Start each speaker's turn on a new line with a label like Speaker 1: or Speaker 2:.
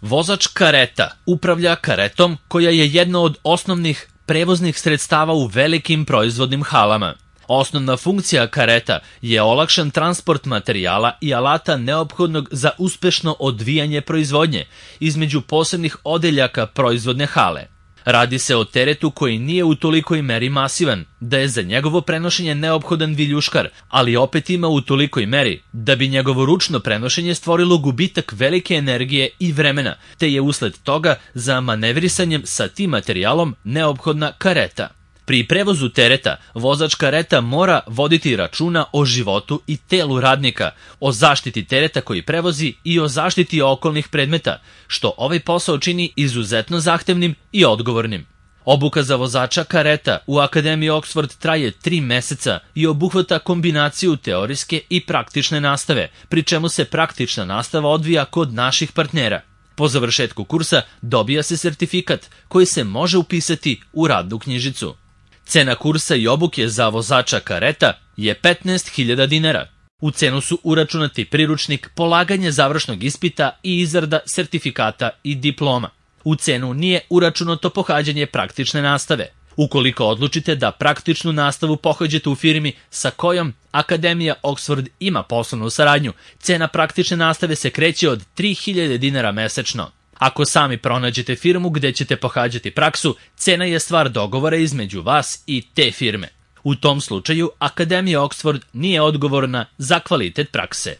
Speaker 1: Vozač kareta upravlja karetom koja je jedno od osnovnih prevoznih sredstava u velikim proizvodnim halama. Osnovna funkcija kareta je olakšan transport materijala i alata neophodnog za uspešno odvijanje proizvodnje između posebnih odeljaka proizvodne hale. Radi se o teretu koji nije u tolikoj meri masivan, da je za njegovo prenošenje neophodan viljuškar, ali opet ima u tolikoj meri da bi njegovo ručno prenošenje stvorilo gubitak velike energije i vremena, te je usled toga za manevrisanjem sa tim materijalom neophodna kareta. Pri prevozu tereta, vozač kareta mora voditi računa o životu i telu radnika, o zaštiti tereta koji prevozi i o zaštiti okolnih predmeta, što ovaj posao čini izuzetno zahtevnim i odgovornim. Obuka za vozača kareta u Akademiji Oxford traje 3 meseca i obuhvata kombinaciju teorijske i praktične nastave, pri čemu se praktična nastava odvija kod naših partnera. Po završetku kursa dobija se sertifikat koji se može upisati u radnu knjižicu. Cena kursa i obuke za vozača kareta je 15.000 dinara. U cenu su uračunati priručnik, polaganje završnog ispita i izrada sertifikata i diploma. U cenu nije uračunato pohađanje praktične nastave. Ukoliko odlučite da praktičnu nastavu pohađate u firmi sa kojom Akademija Oxford ima poslovnu saradnju, cena praktične nastave se kreće od 3.000 dinara mesečno. Ako sami pronađete firmu gde ćete pohađati praksu, cena je stvar dogovora između vas i te firme. U tom slučaju, Akademija Oxford nije odgovorna za kvalitet prakse.